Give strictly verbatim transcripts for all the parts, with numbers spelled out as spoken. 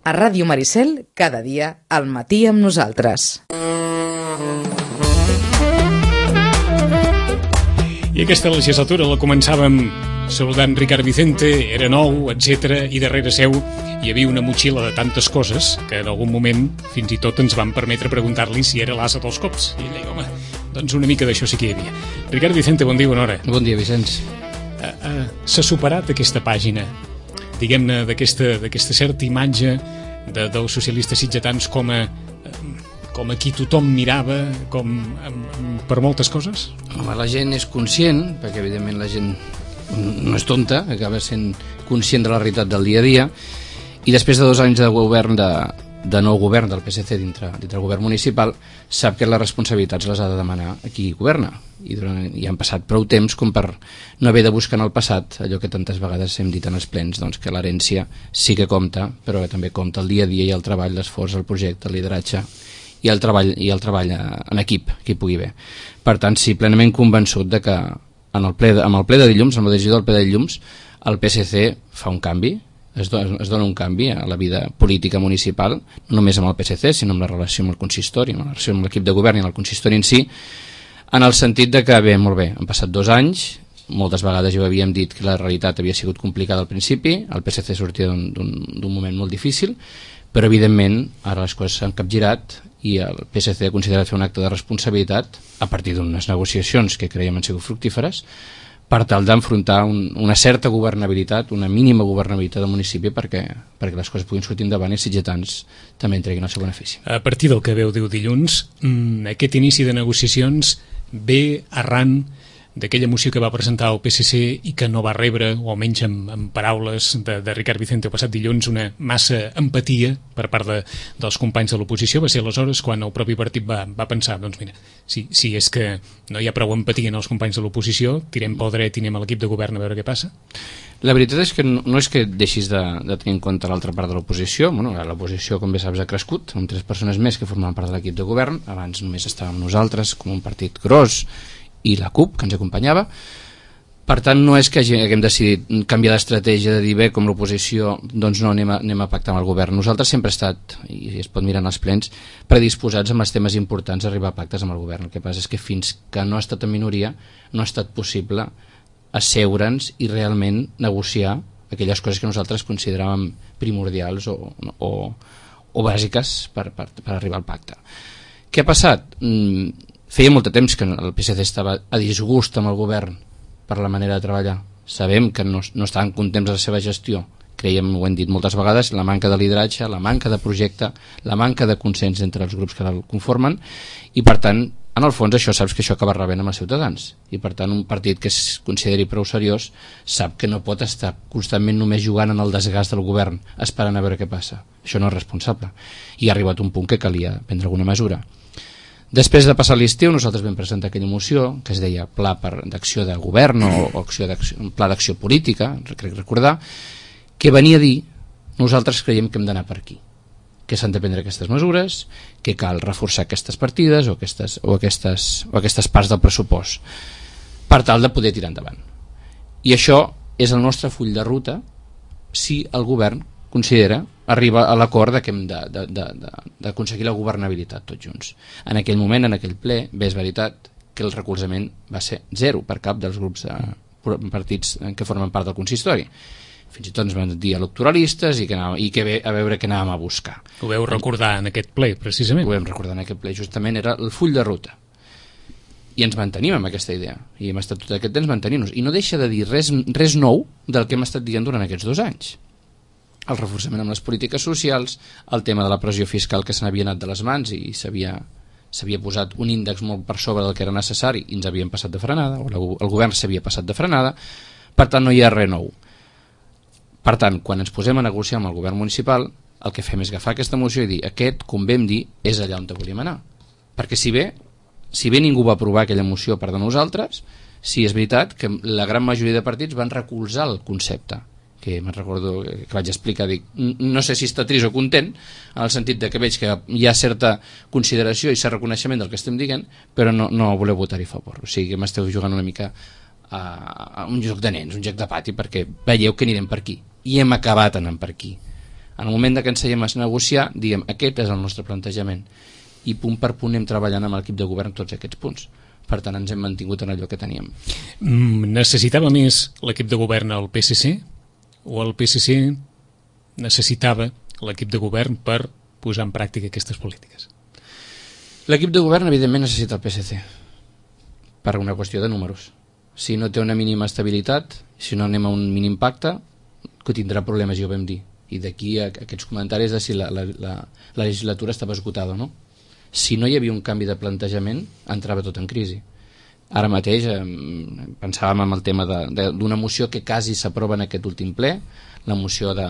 A Ràdio Maricel, cada dia, al matí amb nosaltres. I aquesta legislatura la començàvem saludant Ricard Vicente, era nou, etcètera, i darrere seu hi havia una motxilla de tantes coses que en algun moment fins i tot ens van permetre preguntar-li si era l'asa dels cops. I ell deia, home, doncs una mica d'això sí que hi havia. Ricard Vicente, bon dia, bona hora. Bon dia, Vicenç. Uh, uh, S'ha superat aquesta pàgina, diguem-ne, d'aquesta d'aquesta certa imatge de, dels socialistes sitgetans com a, com a qui tothom mirava, com um, per moltes coses? Home, la gent és conscient, perquè evidentment la gent no és tonta, acaba sent conscient de la realitat del dia a dia, i després de dos anys de govern de, de nou govern del P S C dintre, dintre el govern municipal, sap que les responsabilitats les ha de demanar a qui governa, i, durant, i han passat prou temps com per no haver de buscar en el passat allò que tantes vegades hem dit en els plens, doncs que l'herència sí que compta, però que també compta el dia a dia i el treball, l'esforç, el projecte, el lideratge i el treball, i el treball en equip, que hi pugui haver. Per tant, sí, plenament convençut de que en el ple de, amb el ple de dilluns, amb la decisió del ple de dilluns, el P S C fa un canvi, es dona, es dona un canvi a la vida política municipal, no només amb el P S C, sinó amb la relació amb el consistori, amb la relació amb l'equip de govern i amb el consistori en si, en el sentit de que, bé, molt bé, han passat dos anys, moltes vegades ja ho havíem dit que la realitat havia sigut complicada al principi, el P S C sortia d'un moment molt difícil, però evidentment ara les coses s'han capgirat i el P S C ha considerat fer un acte de responsabilitat a partir d'unes negociacions que creiem han sigut fructíferes per tal d'enfrontar un, una certa governabilitat, una mínima governabilitat del municipi perquè, perquè les coses puguin sortir endavant i els sitgetans també en treguin el seu benefici. A partir del que veu diu dilluns, aquest inici de negociacions ve arran d'aquella moció que va presentar el P S C i que no va rebre, o almenys amb, amb paraules de, de Ricard Vicente el passat dilluns, una massa empatia per part de, dels companys de l'oposició. Va ser aleshores quan el propi partit va, va pensar, doncs mira, si, si és que no hi ha prou empatia en els companys de l'oposició, tirem pel dret i anem a l'equip de govern a veure què passa. La veritat és que no, no és que deixis de, de tenir en compte l'altra part de l'oposició. Bueno, l'oposició, com bé saps, ha crescut amb tres persones més que formaven part de l'equip de govern. Abans només estàvem nosaltres com un partit gros i la CUP, que ens acompanyava. Per tant, no és que haguem decidit canviar d'estratègia de dir bé, com l'oposició, doncs no, anem a, anem a pactar amb el govern. Nosaltres sempre hem estat, i es pot mirar en els plens, predisposats amb els temes importants a arribar a pactes amb el govern. El que passa és que fins que no ha estat en minoria, no ha estat possible asseure'ns i realment negociar aquelles coses que nosaltres consideràvem primordials o, o, o bàsiques per, per, per arribar al pacte. Què ha passat? Mm, Feia molt de temps que el P S C estava a disgust amb el govern per la manera de treballar. Sabem que no, no estaven contents de la seva gestió. Creiem, ho hem dit moltes vegades, la manca de lideratge, la manca de projecte, la manca de consens entre els grups que el conformen i, per tant, en el fons això saps que això acaba rebent amb els ciutadans. I, per tant, un partit que es consideri prou seriós sap que no pot estar constantment només jugant en el desgast del govern, esperant a veure què passa. Això no és responsable. I ha arribat un punt que calia prendre alguna mesura. Després de passar l'estiu, nosaltres vam presentar aquella moció que es deia Pla d'acció de govern o, o acció Pla d'acció política, crec recordar, que venia a dir nosaltres creiem que hem d'anar per aquí, que s'han de prendre aquestes mesures, que cal reforçar aquestes partides o aquestes, o aquestes, o aquestes parts del pressupost per tal de poder tirar endavant. I això és el nostre full de ruta si el govern considera arriba a l'acord de que hem d'aconseguir la governabilitat tots junts. En aquell moment, en aquell ple, bé és veritat que el recolzament va ser zero per cap dels grups de partits que formen part del consistori. Fins i tot ens van dir electoralistes i que, anàvem, i que bé, a veure què anàvem a buscar. Ho veu recordar en aquest ple, precisament. Ho vam recordar en aquest ple, justament era el full de ruta. I ens mantenim amb aquesta idea. I hem estat tot aquest temps mantenint-nos. I no deixa de dir res, res nou del que hem estat dient durant aquests dos anys. El reforçament amb les polítiques socials, el tema de la pressió fiscal que se n'havia anat de les mans i s'havia s'havia posat un índex molt per sobre del que era necessari i ens havien passat de frenada, o la, el govern s'havia passat de frenada, per tant no hi ha res nou. Per tant, quan ens posem a negociar amb el govern municipal, el que fem és agafar aquesta moció i dir aquest, com vam dir, és allà on volíem anar. Perquè si bé, si bé ningú va aprovar aquella moció per de nosaltres, sí és veritat que la gran majoria de partits van recolzar el concepte, que me'n recordo que vaig explicar, dic, no sé si està trist o content, en el sentit de que veig que hi ha certa consideració i cert reconeixement del que estem dient, però no, no voleu votar-hi a favor. O sigui que m'esteu jugant una mica a, a un joc de nens, un joc de pati, perquè veieu que anirem per aquí. I hem acabat anant per aquí. En el moment que ens seiem a negociar, diguem, aquest és el nostre plantejament, i punt per punt anem treballant amb l'equip de govern tots aquests punts. Per tant, ens hem mantingut en allò que teníem. Mm, necessitava més l'equip de govern al P S C o el P S C necessitava l'equip de govern per posar en pràctica aquestes polítiques? L'equip de govern, evidentment, necessita el P S C per una qüestió de números. Si no té una mínima estabilitat, si no anem a un mínim pacte, que tindrà problemes, ja ho vam dir. I d'aquí a aquests comentaris de si la, la, la, la legislatura estava esgotada o no. Si no hi havia un canvi de plantejament, entrava tot en crisi. Ara mateix eh, pensàvem en el tema d'una moció que quasi s'aprova en aquest últim ple, la moció de,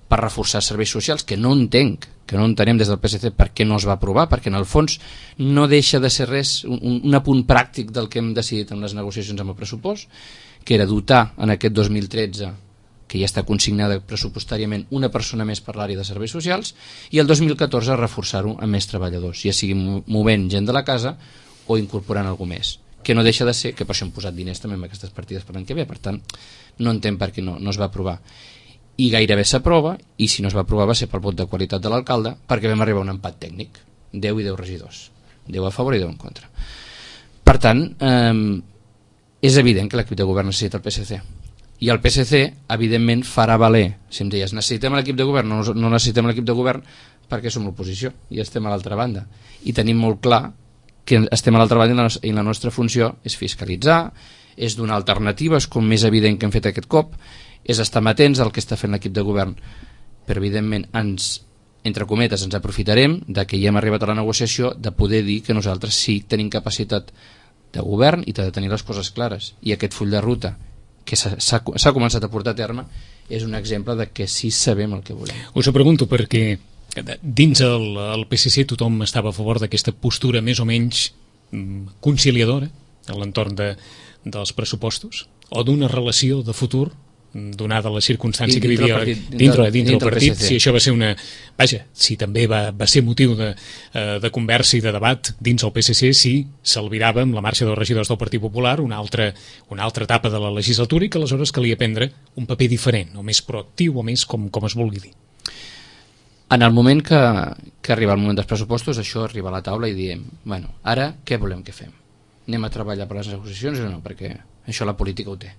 per reforçar serveis socials, que no entenc, que no entenem des del P S C per què no es va aprovar, perquè en el fons no deixa de ser res, un, un apunt pràctic del que hem decidit en les negociacions amb el pressupost, que era dotar en aquest dos mil tretze, que ja està consignada pressupostàriament, una persona més per l'àrea de serveis socials, i el dos mil catorze reforçar-ho amb més treballadors, ja sigui movent gent de la casa o incorporant algú més, que no deixa de ser, que per això hem posat diners també en aquestes partides per l'any que ve, per tant no entenc per què no, no es va aprovar. I gairebé s'aprova, i si no es va aprovar va ser pel vot de qualitat de l'alcalde, perquè vam arribar a un empat tècnic, deu i deu regidors, deu a favor i deu en contra. Per tant, eh, és evident que l'equip de govern necessita el P S C, i el P S C evidentment farà valer, si em deies necessitem l'equip de govern, no, no necessitem l'equip de govern perquè som l'oposició i estem a l'altra banda, i tenim molt clar que estem a l'altra banda i la, i la nostra funció és fiscalitzar, és donar alternatives, com més evident que hem fet aquest cop, és estar atents al que està fent l'equip de govern, però evidentment ens, entre cometes, ens aprofitarem de que ja hem arribat a la negociació de poder dir que nosaltres sí tenim capacitat de govern i de tenir les coses clares, i aquest full de ruta que s'ha començat a portar a terme és un exemple de que sí sabem el que volem. Us ho pregunto perquè dins el, el P S C tothom estava a favor d'aquesta postura més o menys conciliadora a l'entorn de, dels pressupostos o d'una relació de futur donada la circumstància que vivia dintre, dintre, dintre del partit, si això va ser una... Vaja, si també va, va ser motiu de, de conversa i de debat dins el P S C, si s'albirava amb la marxa dels regidors del Partit Popular una altra, una altra etapa de la legislatura i que aleshores calia prendre un paper diferent, o més proactiu, o més com, com es vulgui dir. En el moment que, que arriba el moment dels pressupostos, això arriba a la taula i diem, bueno, ara què volem que fem? Anem a treballar per les negociacions o no? Perquè això la política ho té.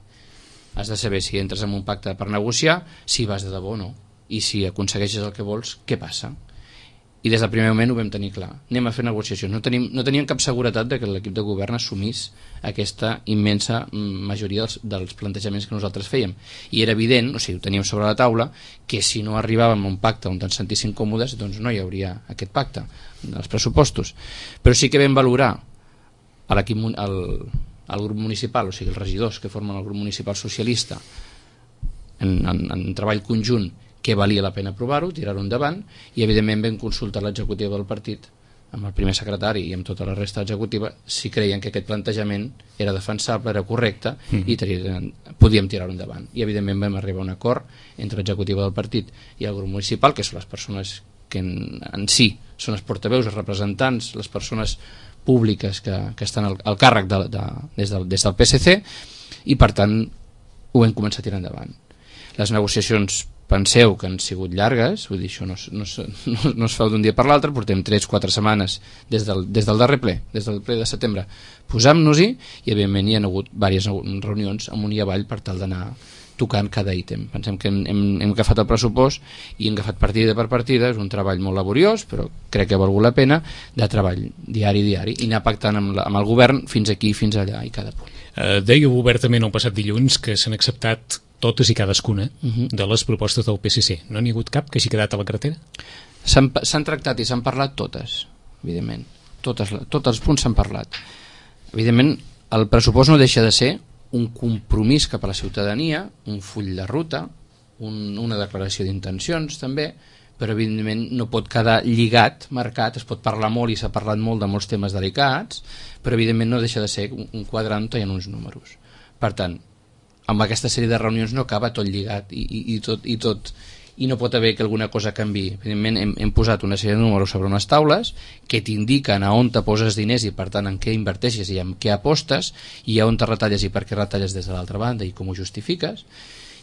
Has de saber si entres en un pacte per negociar, si vas de debò o no, i si aconsegueixes el que vols, què passa? I des del primer moment ho vam tenir clar, anem a fer negociacions, no tenim, no teníem cap seguretat de que l'equip de govern assumís aquesta immensa majoria dels, dels plantejaments que nosaltres fèiem, i era evident, o sigui, ho teníem sobre la taula, que si no arribàvem a un pacte on ens sentíssim còmodes, doncs no hi hauria aquest pacte dels pressupostos, però sí que vam valorar a l'equip, al el grup municipal, o sigui els regidors que formen el grup municipal socialista en, en, en treball conjunt, que valia la pena aprovar-ho, tirar-ho endavant, i evidentment vam consultar l'executiva del partit amb el primer secretari i amb tota la resta executiva si creien que aquest plantejament era defensable, era correcte mm. i tenien, podíem tirar-ho endavant, i evidentment vam arribar a un acord entre l'executiva del partit i el grup municipal, que són les persones que en, en si són els portaveus, els representants, les persones públiques que, que estan al, al càrrec de, de, des, del, des del P S C, i per tant ho hem començat a tirar endavant. Les negociacions, penseu que han sigut llargues, vull dir, això no, no, no, no es fa d'un dia per l'altre, portem tres o quatre setmanes des del, des del darrer ple, des del ple de setembre, posam-nos-hi, i evidentment hi ha hagut diverses reunions amunt i avall per tal d'anar tocant cada ítem. Pensem que hem, hem, hem agafat el pressupost i hem agafat partida per partida, és un treball molt laboriós, però crec que ha valgut la pena, de treball diari diari, i anar pactant amb, la, amb el govern fins aquí, fins allà, i cada punt. Uh, dèieu obertament el passat dilluns que s'han acceptat totes i cadascuna uh -huh. de les propostes del P S C. No n'hi ha hagut cap que hagi quedat a la cartera? S'han tractat i s'han parlat totes, evidentment. Totes, tots els punts s'han parlat. Evidentment, el pressupost no deixa de ser un compromís cap a la ciutadania, un full de ruta, un, una declaració d'intencions també, però evidentment no pot quedar lligat, marcat, es pot parlar molt i s'ha parlat molt de molts temes delicats, però evidentment no deixa de ser un, un quadrant on hi ha uns números. Per tant, amb aquesta sèrie de reunions no acaba tot lligat i, i, i, tot, i tot i no pot haver que alguna cosa canvi. Evidentment hem, hem posat una sèrie de números sobre unes taules que t'indiquen a on te poses diners i per tant en què inverteixes i en què apostes i a on te retalles i per què retalles des de l'altra banda i com ho justifiques,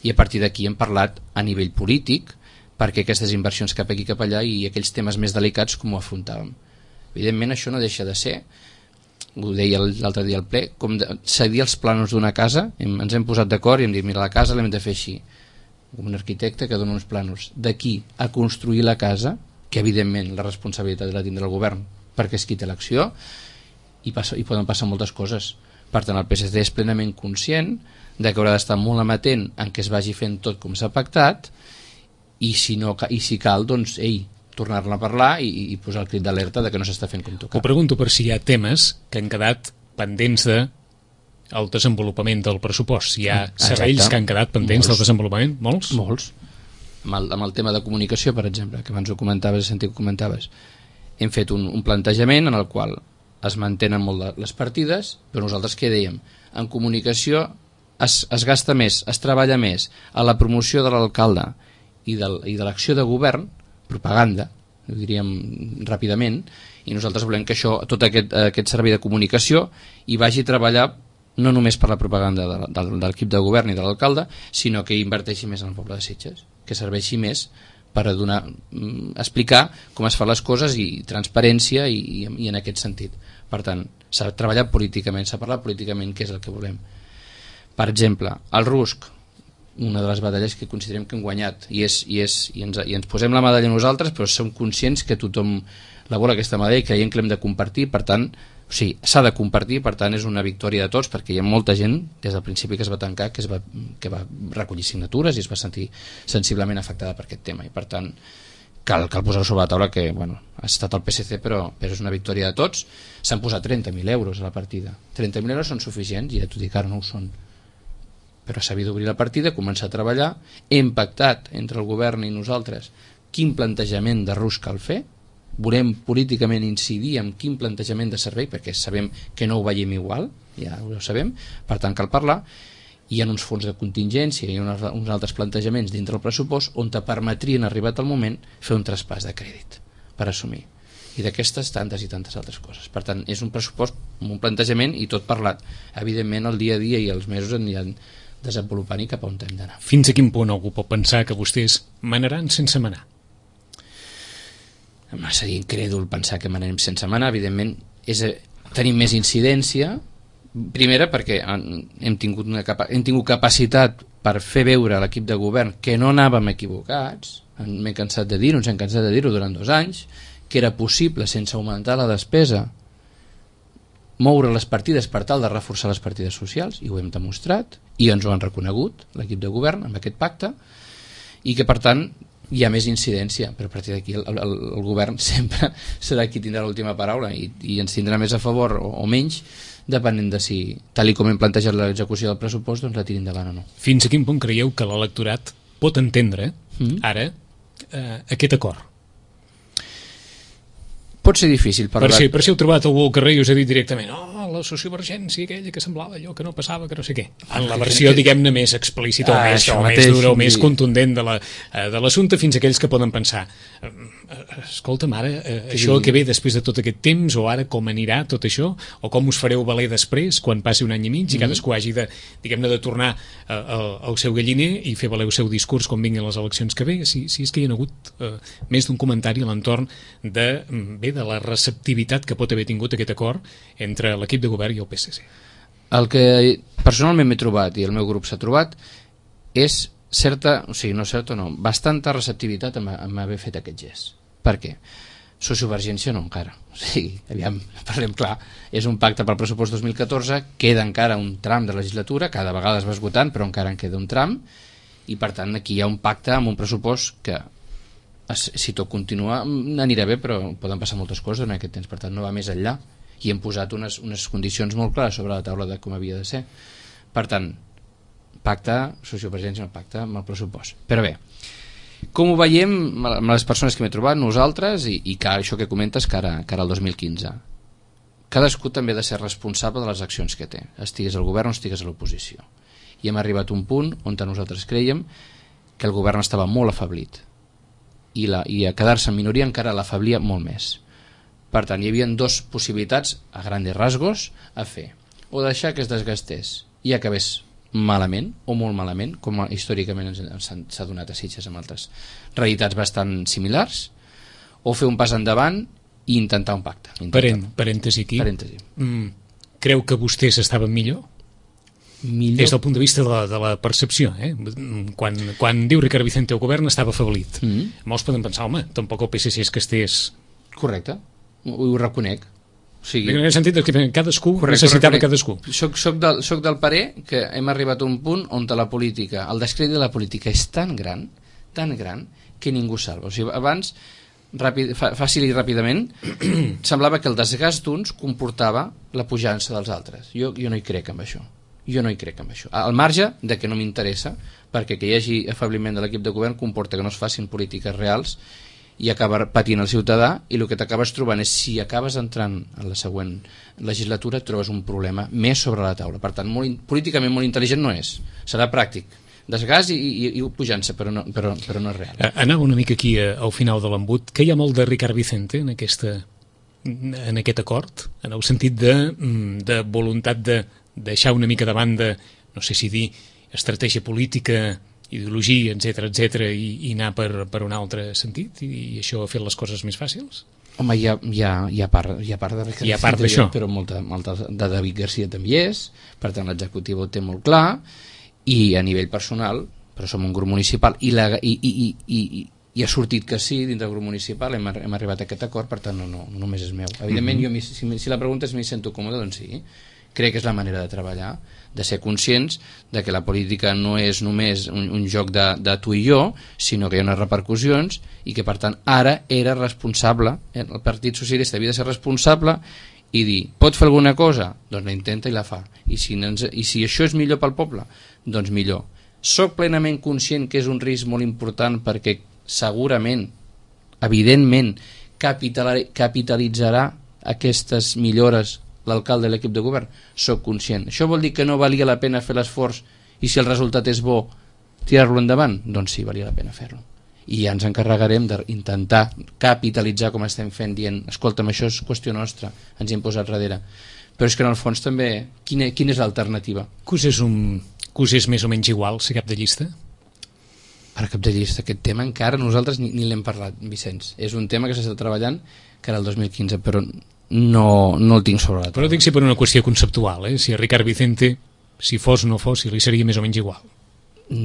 i a partir d'aquí hem parlat a nivell polític perquè aquestes inversions cap aquí cap allà i aquells temes més delicats com ho afrontàvem. Evidentment això no deixa de ser, ho deia l'altre dia al ple, com de cedir els plànols d'una casa. Hem, ens hem posat d'acord i hem dit, mira, la casa l'hem de fer així, com un arquitecte que dona uns plànols. D'aquí a construir la casa, que evidentment la responsabilitat la tindrà el govern perquè és qui té l'acció, i, passa, i poden passar moltes coses. Per tant, el P S C és plenament conscient de que haurà d'estar molt amatent en què es vagi fent tot com s'ha pactat, i si, no, i si cal, doncs, ei, tornar-ne a parlar i, i posar el crit d'alerta de que no s'està fent com toca. Ho pregunto per si hi ha temes que han quedat pendents de el desenvolupament del pressupost. Si hi ha serveis Exacte. Que han quedat pendents Molts. Del desenvolupament? Molts? Molts. Amb el, amb el tema de comunicació, per exemple, que abans ho comentaves, he sentit que comentaves, hem fet un, un plantejament en el qual es mantenen molt les partides, però nosaltres què dèiem? En comunicació es, es gasta més, es treballa més a la promoció de l'alcalde i de, i de l'acció de govern, propaganda, ho diríem ràpidament, i nosaltres volem que això, tot aquest, aquest servei de comunicació hi vagi a treballar no només per la propaganda de, de, de l'equip de govern i de l'alcalde, sinó que inverteixi més en el poble de Sitges, que serveixi més per a donar, explicar com es fan les coses i transparència i, i, i en aquest sentit. Per tant, s'ha treballat políticament, s'ha parlat políticament, què és el que volem. Per exemple, el RUSC, una de les batalles que considerem que hem guanyat, i, és, i, és, i, ens, i ens posem la medalla nosaltres, però som conscients que tothom la vol aquesta medalla i creiem que l'hem de compartir, per tant, o sigui, s'ha de compartir, per tant és una victòria de tots, perquè hi ha molta gent des del principi que es va tancar, que, es va, que va recollir signatures i es va sentir sensiblement afectada per aquest tema, i per tant cal, cal posar sobre la taula que, bueno, ha estat el P S C, però, però és una victòria de tots. S'han posat trenta mil euros a la partida. trenta mil euros són suficients, i ja t'ho dic, ara no ho són, però s'ha d'obrir la partida, començar a treballar. Hem pactat entre el govern i nosaltres quin plantejament de RUSC cal fer, volem políticament incidir en quin plantejament de servei, perquè sabem que no ho veiem igual, ja ho sabem, per tant cal parlar. Hi ha uns fons de contingència i uns, uns altres plantejaments dintre el pressupost on te permetrien, arribat el moment, fer un traspàs de crèdit per assumir, i d'aquestes tantes i tantes altres coses. Per tant, és un pressupost amb un plantejament i tot parlat. Evidentment el dia a dia i els mesos aniran desenvolupant i cap a on hem d'anar. Fins a quin punt algú pot pensar que vostès manaran sense manar? Seria incrèdul pensar que manarem sense manar. Evidentment és, tenim més incidència, primera perquè hem tingut, una capa, hem tingut capacitat per fer veure a l'equip de govern que no anàvem equivocats, m'he cansat de dir-ho, ens hem cansat de dir-ho durant dos anys, que era possible sense augmentar la despesa moure les partides per tal de reforçar les partides socials, i ho hem demostrat, i ens ho han reconegut l'equip de govern amb aquest pacte, i que per tant hi ha més incidència, però a partir d'aquí el, el, el govern sempre serà qui tindrà l'última paraula i, i ens tindrà més a favor o, o menys, depenent de si, tal i com hem plantejat l'execució del pressupost, doncs la tiri endavant o no. Fins a quin punt creieu que l'electorat pot entendre mm. ara eh, aquest acord? Pot ser difícil per, per, si, per si heu trobat algú al carrer i us ha dit directament oh, la sociovergència aquella que semblava allò que no passava, que no sé què, en la versió diguem-ne més explícita ah, o, més, o mateix, més dura o més sí. contundent de l'assumpte, la, fins a aquells que poden pensar escolta'm ara, eh, sí. això que ve després de tot aquest temps, o ara com anirà tot això, o com us fareu valer després quan passi un any i mig i mm-hmm. cadascú hagi de, diguem-ne, de tornar eh, al seu galliner i fer valer el seu discurs quan vinguin les eleccions que ve, si, si és que hi ha hagut eh, més d'un comentari a l'entorn de, bé, de la receptivitat que pot haver tingut aquest acord entre l'equip de govern i el P S C. El que personalment m'he trobat i el meu grup s'ha trobat és certa, o sigui, no certa no, bastanta receptivitat en, en haver fet aquest gest. Per què? Sociovergència no encara. O sigui, aviam, parlem clar, és un pacte pel pressupost dos mil catorze, queda encara un tram de legislatura, cada vegada es va esgotant, però encara en queda un tram, i per tant aquí hi ha un pacte amb un pressupost que si tot continua anirà bé, però poden passar moltes coses en aquest temps, per tant no va més enllà, i hem posat unes, unes condicions molt clares sobre la taula de com havia de ser. Per tant, pacte, sociovergència no pacte amb el pressupost. Però bé, com ho veiem amb les persones que m'he trobat, nosaltres, i, i que això que comentes cara, cara al dos mil quinze, cadascú també ha de ser responsable de les accions que té, estigués al govern o estigués a l'oposició. I hem arribat a un punt on nosaltres creiem que el govern estava molt afeblit, i, la, i a quedar-se en minoria encara l'afeblia molt més. Per tant, hi havia dues possibilitats a grandes rasgos a fer, o deixar que es desgastés i acabés malament o molt malament, com històricament s'ha donat a Sitges amb altres realitats bastant similars, o fer un pas endavant i intentar un pacte. Parent, parèntesi aquí. Parèntesi. Mm, creu que vostès estaven millor? Millor. Des del punt de vista de la, de la percepció, eh? Quan, quan diu Ricard Vicente el govern estava afeblit. Mm -hmm. Molts poden pensar, home, tampoc el P S C és que estés... Correcte, ho, ho reconec. O sigui, en el sentit que cadascú correcte, necessitava reconec. cadascú. Soc, soc, del, soc del parer que hem arribat a un punt on la política, el descrèdit de la política és tan gran, tan gran, que ningú salva. O sigui, abans, ràpid, fàcil i ràpidament, semblava que el desgast d'uns comportava la pujança dels altres. Jo, jo no hi crec amb això. Jo no hi crec amb això. Al marge de que no m'interessa, perquè que hi hagi afabliment de l'equip de govern comporta que no es facin polítiques reals i acaba patint el ciutadà, i el que t'acabes trobant és, si acabes entrant en la següent legislatura, et trobes un problema més sobre la taula. Per tant, molt, políticament molt intel·ligent no és, serà pràctic, desgast i, i, i pujança, però no, però, però no és real. Anava una mica aquí a, al final de l'embut, que hi ha molt de Ricard Vicente en, aquesta, en aquest acord, en el sentit de, de voluntat de deixar una mica de banda, no sé si dir estratègia política, ideologia, etcètera, etcètera, i, i anar per, per un altre sentit, i, i això ha fet les coses més fàcils? Home, hi ha, hi ha, hi ha part, hi ha part de Ricard hi ha part d'això, però molta, molta de David Garcia també hi és, per tant l'executiu ho té molt clar, i a nivell personal, però som un grup municipal, i, la, i, i, i, i, i ha sortit que sí, dintre del grup municipal hem, hem arribat a aquest acord, per tant no, no, no només és meu. Evidentment, mm-hmm. jo, si, si la pregunta és m'hi sento còmode, doncs sí, crec que és la manera de treballar, de ser conscients de que la política no és només un, un joc de, de tu i jo, sinó que hi ha unes repercussions, i que per tant ara era responsable, el Partit Socialista havia de ser responsable i dir, pot fer alguna cosa? Doncs la intenta i la fa, i si, ens, i si això és millor pel poble, doncs millor. Soc plenament conscient que és un risc molt important, perquè segurament, evidentment, capital, capitalitzarà aquestes millores l'alcalde de l'equip de govern, soc conscient. Això vol dir que no valia la pena fer l'esforç, i si el resultat és bo, tirar-lo endavant? Doncs sí, valia la pena fer-lo. I ja ens encarregarem d'intentar capitalitzar, com estem fent, dient, escolta'm, això és qüestió nostra, ens hi hem posat darrere. Però és que en el fons també, quina, quina és l'alternativa? Que us és, un, que us és més o menys igual ser cap de llista? Ara, cap de llista, aquest tema encara nosaltres ni, ni l'hem parlat, Vicenç. És un tema que s'està treballant que era el dos mil quinze, però no, no el tinc sobre la taula. Però dic si per una qüestió conceptual, eh? Si a Ricard Vicente, si fos o no fos, si li seria més o menys igual.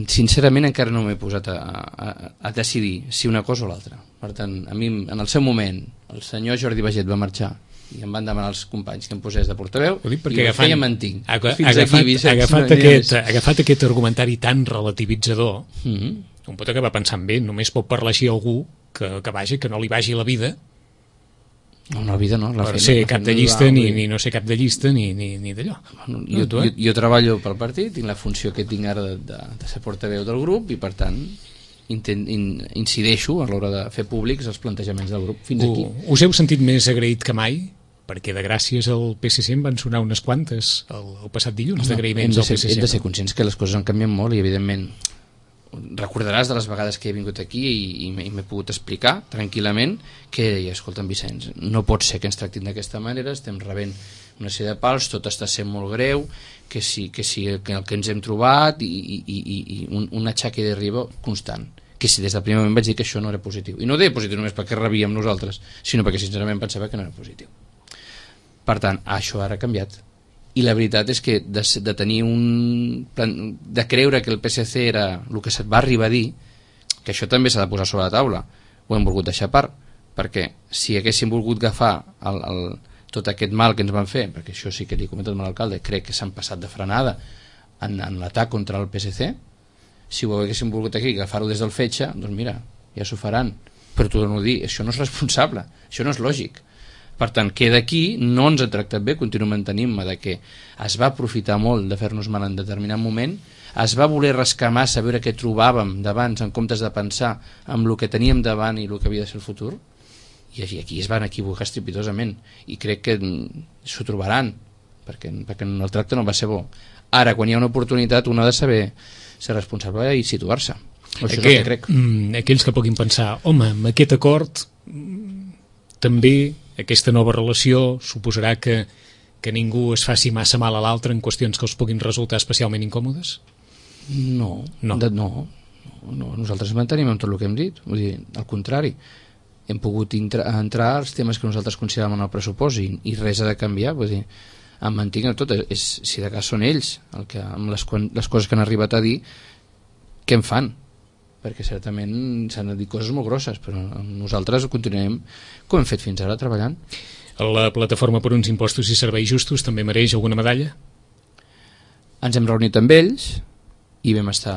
Sincerament encara no m'he posat a, a, a decidir si una cosa o l'altra. Per tant, a mi en el seu moment el senyor Jordi Baget va marxar i em van demanar els companys que em posés de portaveu, i ho feia mantinc. Fins agafat, aquí, Vicenç, agafat, no aquest, agafat aquest argumentari tan relativitzador, mm-hmm. un pot acabar pensant bé, només pot parlar així algú que, que vagi, que no li vagi la vida. No, la vida no. La per feina, ser cap de llista, ni, ni no ser cap de llista, ni, ni, ni d'allò. Bueno, jo, jo, jo treballo pel partit, tinc la funció que tinc ara de, de, de ser portaveu del grup, i per tant intent, in, incideixo a l'hora de fer públics els plantejaments del grup fins aquí. U, us heu sentit més agraït que mai? Perquè de gràcies al P S C en van sonar unes quantes el, el passat dilluns, no, d'agraïments al P S C. Hem de ser conscients que les coses han canviat molt, i evidentment recordaràs de les vegades que he vingut aquí i, i m'he pogut explicar tranquil·lament que deia, escolta'm Vicenç, no pot ser que ens tractin d'aquesta manera, estem rebent una sèrie de pals, tot està sent molt greu, que sí, que sí, que el que ens hem trobat, i, i, i, i un, un atxaque de riba constant, que si des del primer moment vaig dir que això no era positiu, i no ho deia positiu només perquè rebíem nosaltres, sinó perquè sincerament pensava que no era positiu. Per tant, això ara ha canviat. I la veritat és que de, de tenir un... de creure que el P S C era el que se't va arribar a dir, que això també s'ha de posar sobre la taula, ho hem volgut deixar a part, perquè si haguéssim volgut agafar el, el, tot aquest mal que ens van fer, perquè això sí que li he comentat amb l'alcalde, crec que s'han passat de frenada en, en l'atac contra el P S C, si ho haguéssim volgut aquí agafar-ho des del fetge, doncs mira, ja s'ho faran, però t'ho dono a dir, això no és responsable, això no és lògic. Per tant, que d'aquí no ens ha tractat bé, continuo mantenint-me de que es va aprofitar molt de fer-nos mal en determinat moment, es va voler rascar massa a veure què trobàvem d'abans en comptes de pensar en el que teníem davant i el que havia de ser el futur, i aquí es van equivocar estrepitosament, i crec que s'ho trobaran, perquè, perquè el tracte no va ser bo. Ara, quan hi ha una oportunitat, un ha de saber ser responsable i situar-se. Això és el que crec. Aquells que puguin pensar, home, amb aquest acord també aquesta nova relació suposarà que, que ningú es faci massa mal a l'altre en qüestions que els puguin resultar especialment incòmodes? No, no. De, no, no, nosaltres mantenim amb tot el que hem dit, vull dir, al contrari, hem pogut intra, entrar als temes que nosaltres consideràvem en el pressupost i, i res ha de canviar, vull dir, em mantinc en tot, és, si de cas són ells el que, amb les, les coses que han arribat a dir, què en fan? Perquè certament s'han de dir coses molt grosses, però nosaltres continuem com hem fet fins ara, treballant. La plataforma per uns impostos i serveis justos també mereix alguna medalla? Ens hem reunit amb ells i vam estar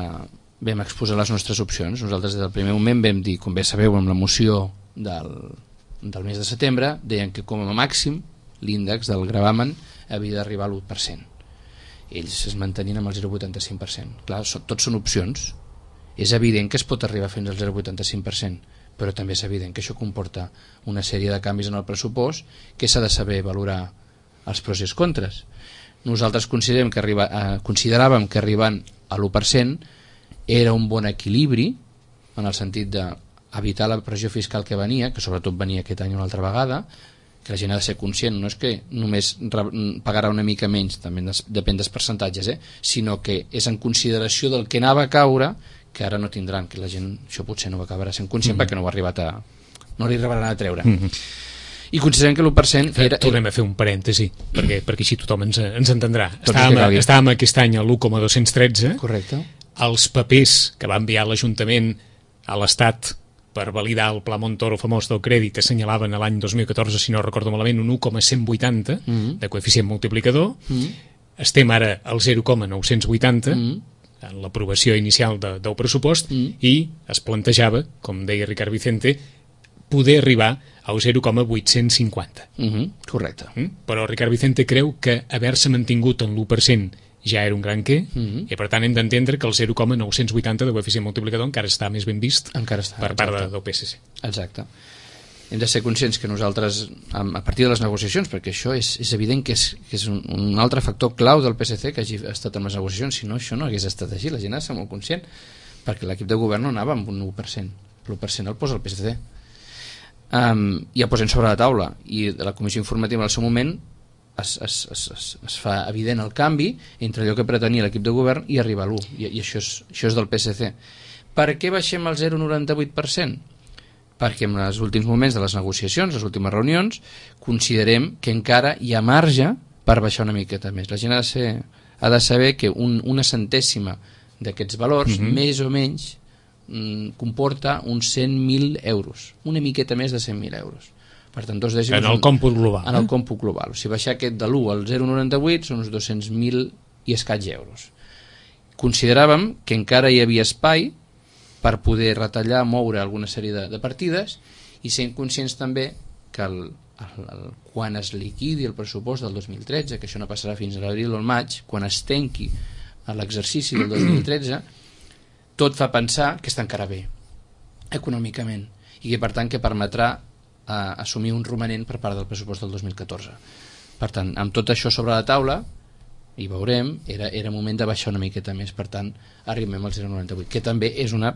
vam exposar les nostres opcions. Nosaltres des del primer moment vam dir, com bé sabeu, amb la moció del, del mes de setembre, deien que com a màxim l'índex del gravamen havia d'arribar a l'u per cent. Ells es mantenien amb el zero coma vuitanta-cinc per cent. Clar, so, tots són opcions. És evident que es pot arribar fins al zero coma vuitanta-cinc per cent, però també és evident que això comporta una sèrie de canvis en el pressupost que s'ha de saber valorar els pros i els contres. Nosaltres considerem que arriba, eh, consideràvem que arribant a l'u per cent era un bon equilibri en el sentit d'evitar la pressió fiscal que venia, que sobretot venia aquest any una altra vegada, que la gent ha de ser conscient, no és que només pagarà una mica menys, també depèn dels percentatges, eh? Sinó que és en consideració del que anava a caure, que ara no tindran, que la gent això potser no ho acabarà sent conscient mm-hmm. perquè no ho ha arribat a no li arribaran a treure mm-hmm. i considerem que l'u per cent era... Tornem a fer un parèntesi perquè, perquè així tothom ens, ens entendrà. Estàvem, estàvem aquest any a l'u coma dos-cents tretze. Correcte. Els papers que va enviar l'Ajuntament a l'Estat per validar el Pla Montoro famós del crèdit assenyalaven a l'any dos mil catorze, si no recordo malament, un u coma cent vuitanta mm-hmm. de coeficient multiplicador. Mm-hmm. Estem ara al zero coma nou-cents vuitanta mm-hmm. en l'aprovació inicial de, del pressupost mm. i es plantejava, com deia Ricard Vicente, poder arribar al zero coma vuit-cents cinquanta. Mm-hmm. Correcte. Mm? Però Ricard Vicente creu que haver-se mantingut en l'u per cent ja era un gran què, mm-hmm. i per tant hem d'entendre que el zero coma nou-cents vuitanta de coeficient multiplicador encara està més ben vist encara està, per part de, del P S C. Exacte. Hem de ser conscients que nosaltres, a partir de les negociacions, perquè això és, és evident que és, que és un, un altre factor clau del P S C que hagi estat en les negociacions, si no això no hagués estat així, la gent ha de ser molt conscient, perquè l'equip de govern no anava amb un u per cent, l'u per cent el posa el P S C. Um, i el posem sobre la taula, i la comissió informativa en el seu moment es, es, es, es, es fa evident el canvi entre allò que pretenia l'equip de govern i arribar a l'u, i, i això, és, això és del P S C. Per què baixem al zero coma noranta-vuit per cent? Perquè en els últims moments de les negociacions, les últimes reunions, considerem que encara hi ha marge per baixar una miqueta més. La gent ha de, ser, ha de saber que un, una centèsima d'aquests valors, mm-hmm. més o menys, mm, comporta uns cent mil euros, una miqueta més de cent mil euros. Per tant, dos dècims... En el còmput global. En el còmput global. O sigui, baixar aquest de l'u al zero coma noranta-vuit són uns dos-cents mil i escaig euros. Consideràvem que encara hi havia espai per poder retallar, moure alguna sèrie de, de partides i sent conscients també que el, el, el, quan es liquidi el pressupost del dos mil tretze, que això no passarà fins a l'abril o el maig, quan es tanqui l'exercici del dos mil tretze, tot fa pensar que està encara bé econòmicament i que per tant que permetrà eh, assumir un romanent per part del pressupost del dos mil catorze. Per tant, amb tot això sobre la taula i veurem, era, era moment de baixar una miqueta més, per tant arribem al zero coma noranta-vuit, que també és una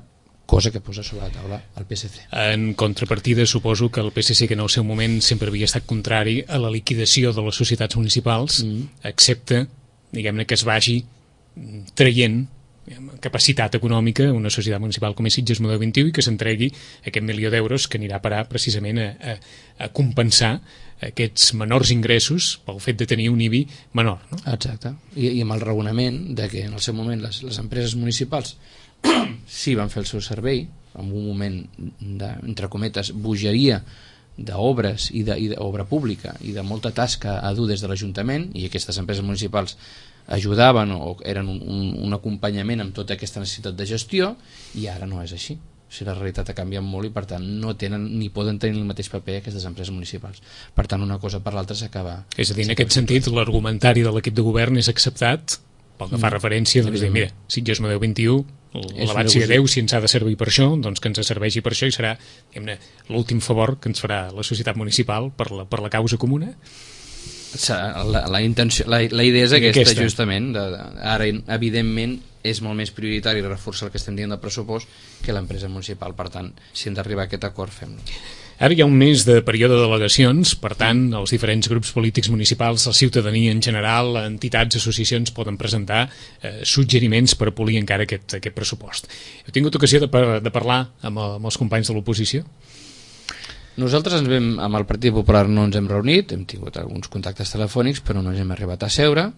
cosa que posa sobre la taula el P S C. En contrapartida, suposo que el P S C, que en el seu moment sempre havia estat contrari a la liquidació de les societats municipals, mm. accepta, diguem-ne, que es vagi traient capacitat econòmica a una societat municipal com és Sitges Model vint-i-u i que s'entregui aquest milió d'euros que anirà a parar precisament a, a, a compensar aquests menors ingressos pel fet de tenir un I B I menor. No? Exacte. I, I amb el raonament de que en el seu moment les, les empreses municipals sí van fer el seu servei en un moment de, entre cometes, bogeria d'obres i d'obra pública i de molta tasca a dur des de l'Ajuntament, i aquestes empreses municipals ajudaven o eren un, un, un acompanyament amb tota aquesta necessitat de gestió, i ara no és així. O sigui, la realitat ha canviat molt i per tant no tenen ni poden tenir el mateix paper aquestes empreses municipals. Per tant, una cosa per l'altra s'acaba. És a dir, en aquest sentit, l'argumentari de l'equip de govern és acceptat pel que fa mm. referència, doncs, dir, mira, Sitges Model vint-i-u, l'abat sigui Déu, si ens ha de servir per això, doncs que ens serveixi per això i serà l'últim favor que ens farà la societat municipal per la, per la causa comuna. La, la, intenció, la, la idea és aquesta, aquesta. justament. De, de, ara, evidentment, és molt més prioritari reforçar el que estem dient del pressupost que l'empresa municipal. Per tant, si hem d'arribar a aquest acord, fem-lo. Ara hi ha un mes de període de delegacions, per tant, els diferents grups polítics municipals, la ciutadania en general, entitats, associacions, poden presentar eh, suggeriments per polir encara aquest, aquest pressupost. Heu tingut ocasió de, par de parlar amb, el, amb els companys de l'oposició? Nosaltres ens vam, amb el Partit Popular no ens hem reunit, hem tingut alguns contactes telefònics, però no ens hem arribat a seure.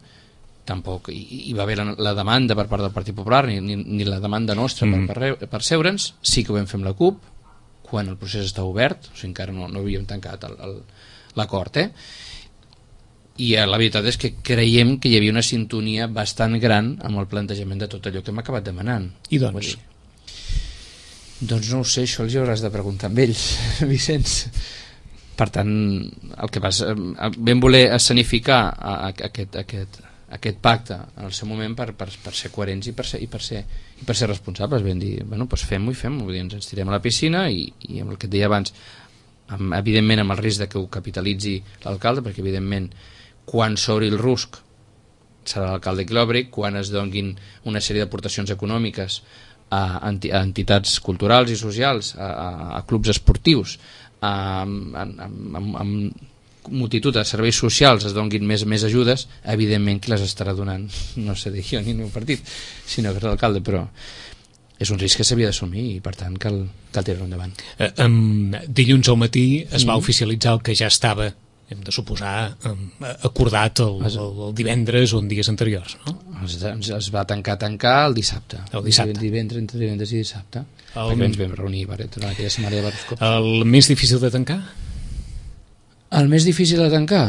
Tampoc hi, hi va haver la, la demanda per part del Partit Popular, ni, ni, ni la demanda nostra mm. per, per, per seure'ns. Sí que ho vam fer amb la CUP, quan el procés està obert, o sigui, encara no, no havíem tancat l'acord, eh? I eh, la veritat és que creiem que hi havia una sintonia bastant gran amb el plantejament de tot allò que hem acabat demanant. I doncs? Doncs no ho sé, això els hi hauràs de preguntar amb ells, Vicenç. Per tant, el que vas, vam voler escenificar a, a, a aquest, a aquest, a aquest pacte en el seu moment per, per, per ser coherents i per ser, i per ser, i per ser responsables. Vam dir, bueno, doncs fem-ho i fem-ho, ens tirem a la piscina i, i amb el que et deia abans, amb, evidentment amb el risc de que ho capitalitzi l'alcalde, perquè evidentment quan s'obri el rusc serà l'alcalde qui l'obri, quan es donguin una sèrie d'aportacions econòmiques a, a entitats culturals i socials, a, a, a clubs esportius, a, a, a, a, a multitud de serveis socials es donguin més, més ajudes, evidentment qui les estarà donant no sé de jo ni el meu partit, sinó que és l'alcalde, però és un risc que s'havia d'assumir i per tant cal, cal tirar-lo endavant. Eh, um, dilluns al matí es va mm. oficialitzar el que ja estava, hem de suposar, um, acordat el, el, el divendres o en dies anteriors, no? Es, es va tancar tancar el dissabte, el dissabte. Divendres, entre divendres i dissabte, el... perquè ens vam reunir durant aquella setmana de diversos cops. El més difícil de tancar? El més difícil de tancar?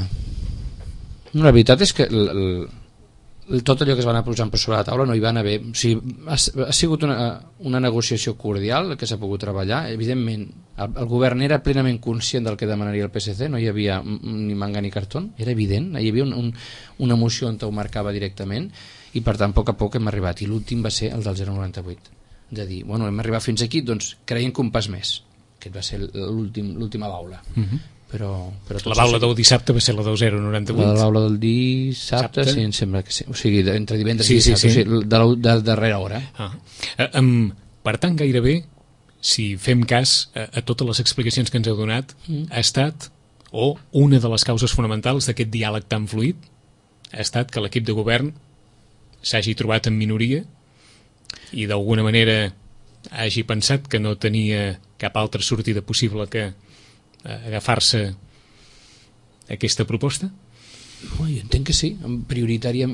No, la veritat és que el, el, tot allò que es va anar posant per sobre la taula no hi van haver, o sigui, ha, ha sigut una, una negociació cordial que s'ha pogut treballar. Evidentment el, el govern era plenament conscient del que demanaria el P S C, no hi havia ni manga ni cartó, era evident, hi havia un, un, una moció on ho marcava directament i per tant a poc a poc hem arribat i l'últim va ser el del zero coma noranta-vuit, de dir, bueno, hem arribat fins aquí, doncs creiem que un pas més, aquest va ser l'última baula. uh-huh. Però, però la baula del dissabte va ser la del zero coma noranta-vuit. La baula del dissabte, Sabte? Sí, em sembla que sí. O sigui, entre divendres sí, i dissabte, sí, sí. O sigui, de, la, de darrera hora. Ah. Uh, um, per tant, gairebé, si fem cas a, a totes les explicacions que ens heu donat, mm. ha estat, o una de les causes fonamentals d'aquest diàleg tan fluid, ha estat que l'equip de govern s'hagi trobat en minoria i d'alguna manera hagi pensat que no tenia cap altra sortida possible que agafar-se aquesta proposta? Oh, jo entenc que sí, prioritària,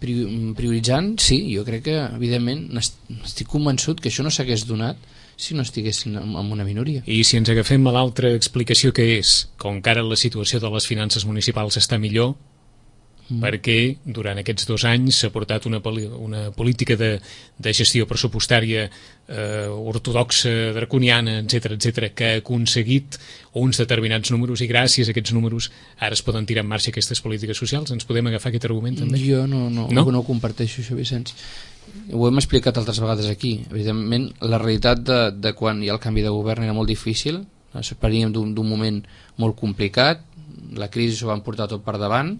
prioritzant, sí, jo crec que evidentment estic convençut que això no s'hagués donat si no estiguessin en una minoria. I si ens agafem a l'altra explicació que és, com que ara la situació de les finances municipals està millor, mm. perquè durant aquests dos anys s'ha portat una, una política de, de gestió pressupostària eh, ortodoxa, draconiana, etcètera, etcètera, que ha aconseguit uns determinats números i gràcies a aquests números ara es poden tirar en marxa aquestes polítiques socials. Ens podem agafar aquest argument també? Jo no, no, no? no comparteixo això, Vicenç. Ho hem explicat altres vegades aquí. Evidentment, la realitat de, de quan hi ha el canvi de govern era molt difícil, veníem d'un moment molt complicat, la crisi s'ho van portar tot per davant,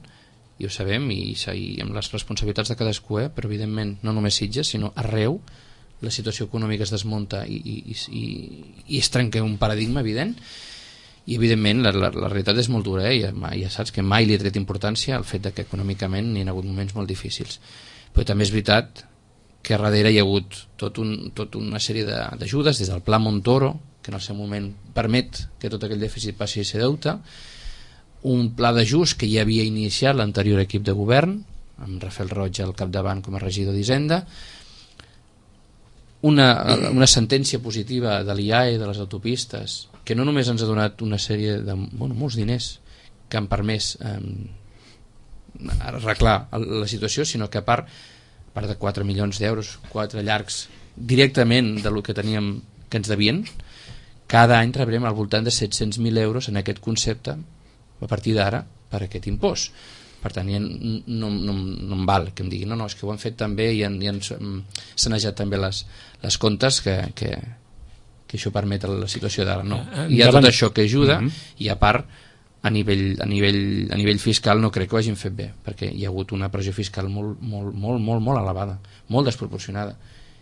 i ho sabem, i, i amb les responsabilitats de cadascú, eh? Però evidentment no només Sitges, sinó arreu la situació econòmica es desmunta i, i, i, i es trenca un paradigma evident, i evidentment la, la, la realitat és molt dura, eh? ja, ja saps que mai li he tret importància al fet de que econòmicament hi ha hagut moments molt difícils, però també és veritat que darrere hi ha hagut tot, un, tot una sèrie d'ajudes des del Pla Montoro, que en el seu moment permet que tot aquell dèficit passi a ser deute, un pla d'ajust que ja havia iniciat l'anterior equip de govern, amb Rafael Roig al capdavant com a regidor d'Hisenda, una, una sentència positiva de l'I A E, de les autopistes, que no només ens ha donat una sèrie de bueno, molts diners que han permès eh, arreglar la situació, sinó que a part, a part de quatre milions d'euros, quatre llargs directament de lo que teníem que ens devien, cada any rebrem al voltant de set-cents mil euros en aquest concepte a partir d'ara per aquest impost. Per tant, ja no, no, no em val que em diguin no, no, és que ho han fet també i han, i han sanejat també les, les comptes que, que, que això permet la situació d'ara. No. Hi ha tot això que ajuda mm-hmm. i a part a nivell, a, nivell, a nivell fiscal no crec que ho hagin fet bé, perquè hi ha hagut una pressió fiscal molt, molt, molt, molt, molt elevada, molt desproporcionada,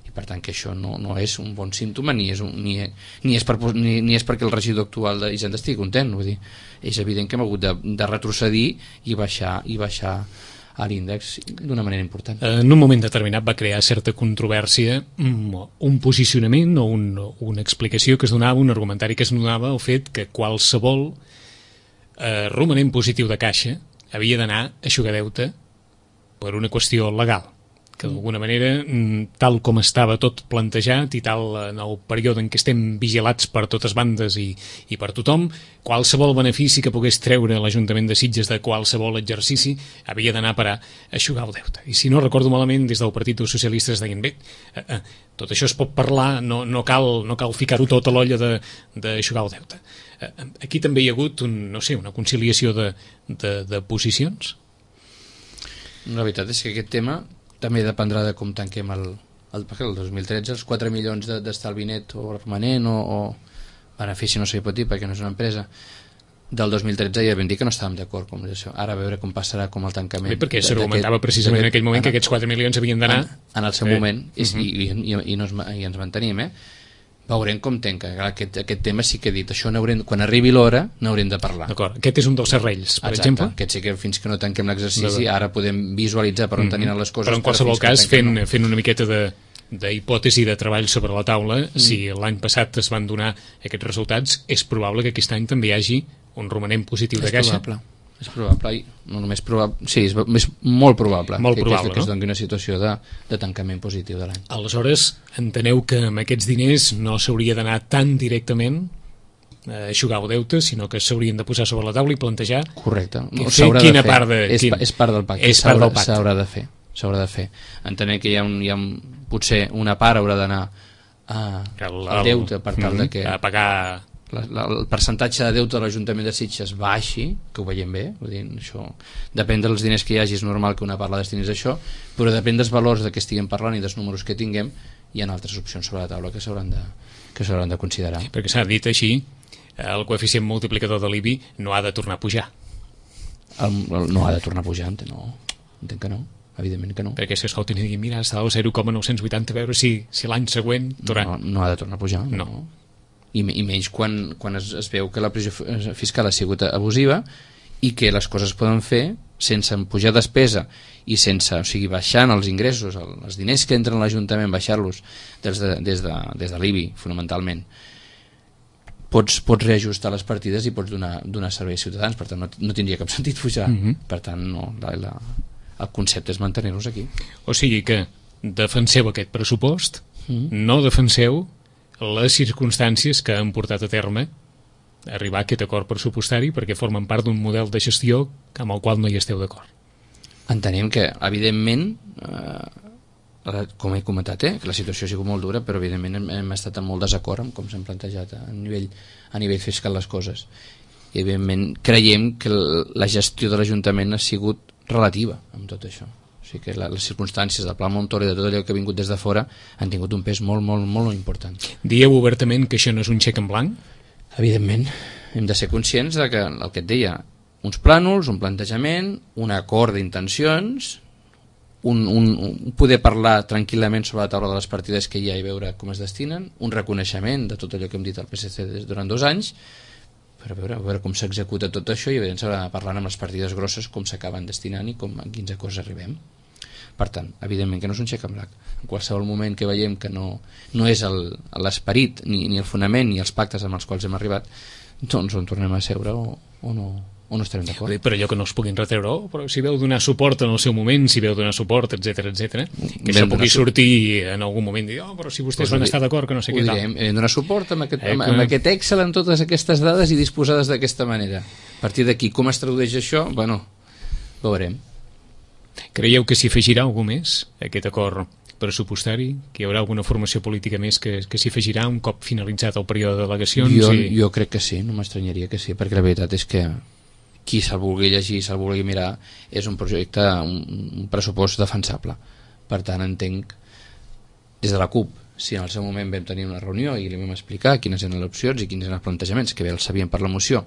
i per tant que això no, no és un bon símptoma ni és, un, ni, ni, és per, ni, ni és perquè el regidor actual d'Hisenda estigui content, vull dir, és evident que hem hagut de, de retrocedir i baixar, i baixar a l'índex d'una manera important. En un moment determinat va crear certa controvèrsia un posicionament o un, una explicació que es donava, un argumentari que es donava el fet que qualsevol eh, romanent positiu de caixa havia d'anar a eixugar deute per una qüestió legal, que d'alguna manera, tal com estava tot plantejat i tal en el període en què estem vigilats per totes bandes i, i per tothom, qualsevol benefici que pogués treure l'Ajuntament de Sitges de qualsevol exercici havia d'anar a parar a eixugar el deute. I si no recordo malament, des del Partit dels Socialistes deien, bé, eh, eh, tot això es pot parlar, no, no cal, no cal ficar-ho tot a l'olla d'eixugar el deute. Eh, aquí també hi ha hagut un, no sé, una conciliació de, de, de posicions? La veritat és que aquest tema també dependrà de com tanquem el, el, el dos mil tretze, els quatre milions d'estalvi net o permanent o, o benefici, no sé què pot dir perquè no és una empresa, del dos mil tretze ja vam dir que no estàvem d'acord com això. Ara a veure com passarà com el tancament. Bé, perquè s'argumentava precisament en aquell moment en, que aquests quatre milions havien d'anar en, en el seu eh. moment i, uh -huh. i, i, i, no es, i ens mantenim, eh? Veurem com tanca. Aquest, aquest tema sí que he dit, això n'haurem, quan arribi l'hora n'haurem de parlar. D'acord, aquest és un dels serrells, per Exacte. exemple. Aquest sí que fins que no tanquem l'exercici ara podem visualitzar per on mm-hmm. tenien les coses. Però en qualsevol cas, fent, no. fent una miqueta de d'hipòtesi de treball sobre la taula, mm. si l'any passat es van donar aquests resultats, és probable que aquest any també hi hagi un romanent positiu de caixa. És probable. És probable, no només probable, sí, és, és molt probable, molt que, probable que, que no? es doni una situació de, de tancament positiu de l'any. Aleshores, enteneu que amb aquests diners no s'hauria d'anar tan directament a eixugar el deute, sinó que s'haurien de posar sobre la taula i plantejar correcte. No, fer quina de fer. part de... És, quin... és part del pacte, s'haurà de fer. S'haurà de fer. Entenem que hi ha, un, hi ha un, potser una part haurà d'anar al deute per tal de que... a pagar... La, la, el percentatge de deute de l'Ajuntament de Sitges baixi, que ho veiem bé, vull dir, això depèn dels diners que hi hagi, és normal que una part la destinis a això, però depèn dels valors de què estiguem parlant i dels números que tinguem, hi ha altres opcions sobre la taula que s'hauran de, que s'hauran de considerar. Perquè s'ha dit així, el coeficient multiplicador de l'I B I no ha de tornar a pujar. El, el, no ha de tornar a pujar, entenc, no, entenc que no, evidentment que no. Perquè si escoltin i diguin, mira, està al zero coma nou cents vuitanta, a veure si, si l'any següent tornarà. No, no ha de tornar a pujar, no. no. I, i menys quan, quan es, es veu que la pressió fiscal ha sigut abusiva i que les coses poden fer sense pujar despesa i sense, o sigui, baixant els ingressos, el, els diners que entren a l'Ajuntament, baixar-los des de, des de, des de l'I B I, fonamentalment. Pots, pots reajustar les partides i pots donar, donar servei als ciutadans, per tant no, no tindria cap sentit pujar. Mm-hmm. Per tant, no, la, la, el concepte és mantenir-nos aquí. O sigui que defenseu aquest pressupost, mm-hmm. no defenseu les circumstàncies que han portat a terme arribar a aquest acord pressupostari perquè formen part d'un model de gestió amb el qual no hi esteu d'acord. Entenem que, evidentment, eh, com he comentat, eh, que la situació ha sigut molt dura, però evidentment hem, hem estat en molt desacord amb com s'han plantejat a nivell, a nivell fiscal les coses. I evidentment creiem que la gestió de l'Ajuntament ha sigut relativa amb tot això. O sigui que les circumstàncies del Pla Montoro i de tot allò que ha vingut des de fora han tingut un pes molt, molt, molt important. Dieu obertament que això no és un xec en blanc? Evidentment, hem de ser conscients de que el que et deia, uns plànols, un plantejament, un acord d'intencions, un, un, un poder parlar tranquil·lament sobre la taula de les partides que hi ha i veure com es destinen, un reconeixement de tot allò que hem dit al P S C durant dos anys, per a veure, a veure com s'executa tot això i evidentment s'haurà de parlar amb les partides grosses com s'acaben destinant i com, a quins acords arribem. Per tant, evidentment que no és un xec en blanc. En qualsevol moment que veiem que no, no és l'esperit ni, ni el fonament ni els pactes amb els quals hem arribat, doncs on tornem a seure o, o no, o no estarem d'acord. Però allò que no es puguin retreure, oh, però si veu donar suport en el seu moment, si veu donar suport, etc etc, que això pugui sortir en algun moment i dir, oh, però si vostès van estar d'acord que no sé què tal. Hem de donar suport amb aquest, amb, amb aquest Excel, amb totes aquestes dades i disposades d'aquesta manera. A partir d'aquí, com es tradueix això? Bueno, veurem. Creieu que s'hi afegirà algú més a aquest acord pressupostari? Que hi haurà alguna formació política més que, que s'hi afegirà un cop finalitzat el període de delegacions? Jo, i... jo crec que sí, no m'estranyaria que sí, perquè la veritat és que qui se'l vulgui llegir, se'l vulgui mirar, és un projecte, un, un pressupost defensable. Per tant, entenc, des de la CUP, si en el seu moment vam tenir una reunió i li vam explicar quines eren les opcions i quins eren els plantejaments, que bé els sabien per la moció,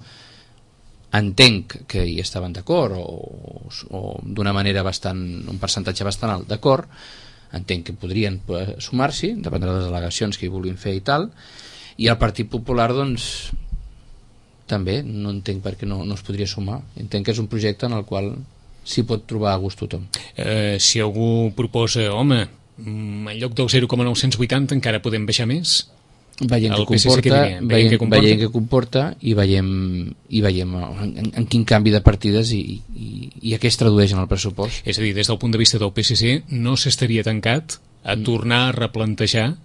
entenc que hi estaven d'acord o, o d'una manera bastant, un percentatge bastant alt d'acord, entenc que podrien sumar-s'hi, dependrà de les delegacions que hi vulguin fer i tal, i el Partit Popular doncs també no entenc per què no, no es podria sumar. Entenc que és un projecte en el qual s'hi pot trobar a gust tothom. Eh, si algú proposa, home, en lloc del zero coma nou vuitanta encara podem baixar més? Veiem què comporta, veiem, que comporta. veiem què comporta i veiem, i veiem en, en quin canvi de partides i, i, i a què es tradueix en el pressupost. És a dir, des del punt de vista del P S C no s'estaria tancat a tornar a replantejar,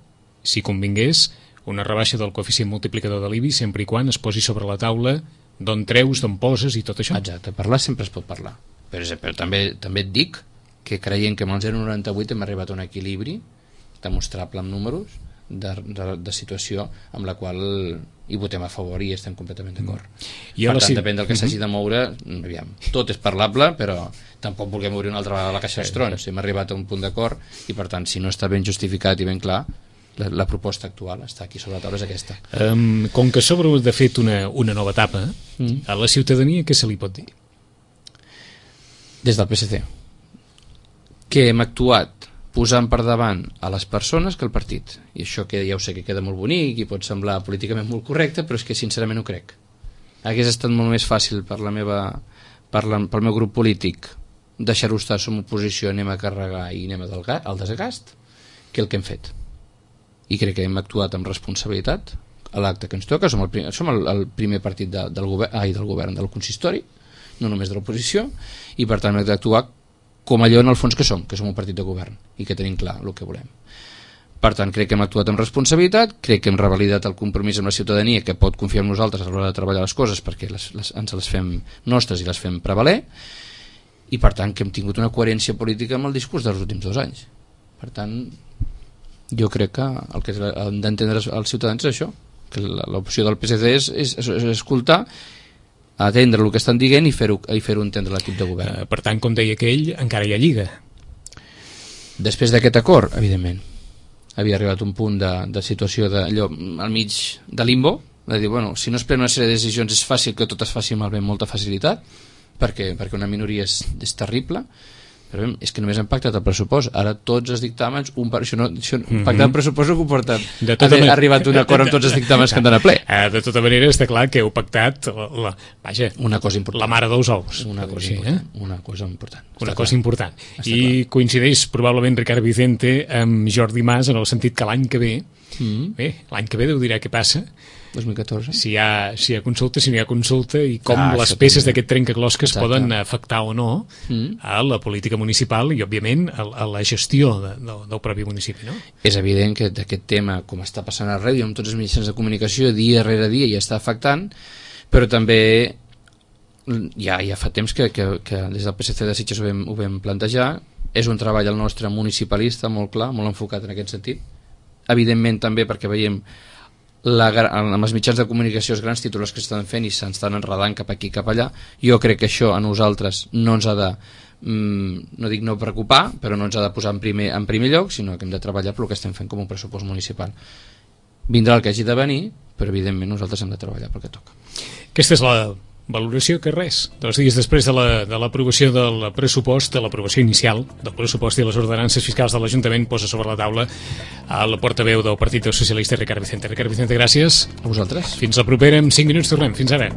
si convingués, una rebaixa del coeficient multiplicador de l'I B I sempre i quan es posi sobre la taula d'on treus, d'on poses i tot això. Exacte, parlar sempre es pot parlar, però, però també, també et dic que creient que amb el zero coma noranta vuit hem arribat a un equilibri demostrable amb números de, de, de situació amb la qual hi votem a favor i estem completament d'acord. Mm. Per tant, si... depèn del que s'hagi de moure, aviam, tot és parlable, però tampoc volem obrir una altra vegada la caixa dels trons. Hem arribat a un punt d'acord i, per tant, si no està ben justificat i ben clar, la, la proposta actual està aquí sobre la taula, és aquesta. Um, com que s'obre de fet una, una nova etapa, mm. a la ciutadania què se li pot dir? Des del P S C que hem actuat posant per davant a les persones que el partit, i això que ja ho sé que queda molt bonic i pot semblar políticament molt correcte, però és que sincerament ho crec. Hagués estat molt més fàcil per la meva, per la, pel meu grup polític deixar-ho estar, som oposició, anem a carregar i anem al desgast, que el que hem fet. I crec que hem actuat amb responsabilitat a l'acte que ens toca. Som el primer, som el, el primer partit de, del, govern, ai, del govern del consistori, no només de l'oposició, i per tant hem d'actuar com allò en el fons que som, que som un partit de govern i que tenim clar el que volem. Per tant, crec que hem actuat amb responsabilitat, crec que hem revalidat el compromís amb la ciutadania que pot confiar en nosaltres a l'hora de treballar les coses perquè les, les, ens les fem nostres i les fem prevaler, i per tant que hem tingut una coherència política amb el discurs dels últims dos anys. Per tant, jo crec que el que han d'entendre els ciutadans és això, que l'opció del P S C és, és, és escoltar, atendre el que estan dient i fer-ho i fer-ho entendre l'equip de govern. Uh, per tant, com deia aquell, encara hi ha lliga. Després d'aquest acord, evidentment, havia arribat un punt de, de situació de, allò, al mig de limbo, de dir, bueno, si no es prenen una sèrie de decisions és fàcil que tot es faci malbé amb molta facilitat, perquè, perquè una minoria és, és terrible, però bé, és que només hem pactat el pressupost, ara tots els dictàmens, un, això no, això, mm-hmm. pactar el pressupost no comporta ha arribat un acord amb tots els dictàmens que han d'anar a ple. De tota manera està clar que heu pactat la, la, vaja, una cosa important, la mare dels ous. Una cosa, sí, important, eh? una cosa important. Una està cosa clar. important. Està I clar. Coincideix probablement Ricard Vicente amb Jordi Mas en el sentit que l'any que ve, mm-hmm. bé, l'any que ve Déu dirà què passa, dos mil catorze Si hi ha, si hi ha consulta, si no hi ha consulta i com ah, les peces d'aquest trencaclosques Exacte. poden afectar o no mm. a la política municipal i, òbviament, a, a la gestió de, de, del propi municipi, no? És evident que d'aquest tema, com està passant a ràdio amb tots els mitjans de comunicació, dia rere dia ja està afectant, però també ja, ja fa temps que, que, que des del P S C de Sitges ho vam, ho vam plantejar. És un treball el nostre municipalista molt clar, molt enfocat en aquest sentit. Evidentment també perquè veiem La, amb els mitjans de comunicació els grans titulars que s'estan fent i s'estan enredant cap aquí cap allà. Jo crec que això a nosaltres no ens ha de mm, no dic no preocupar, però no ens ha de posar en primer, en primer lloc, sinó que hem de treballar per el que estem fent com un pressupost municipal. Vindrà el que hagi de venir, però evidentment nosaltres hem de treballar pel que toca. Aquesta és la valoració que res, dos dies després de la, de l'aprovació del pressupost, de l'aprovació inicial del pressupost i les ordenances fiscals de l'Ajuntament, posa sobre la taula a la portaveu del Partit Socialista, Ricard Vicente. Ricard Vicente, gràcies. A vosaltres. Fins la propera, en cinc minuts tornem. Fins ara.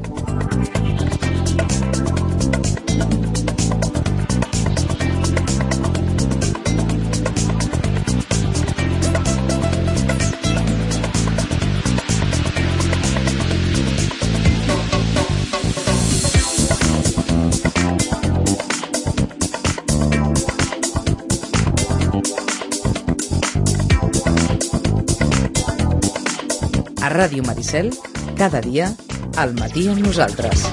A Ràdio Maricel, cada dia, al matí amb nosaltres.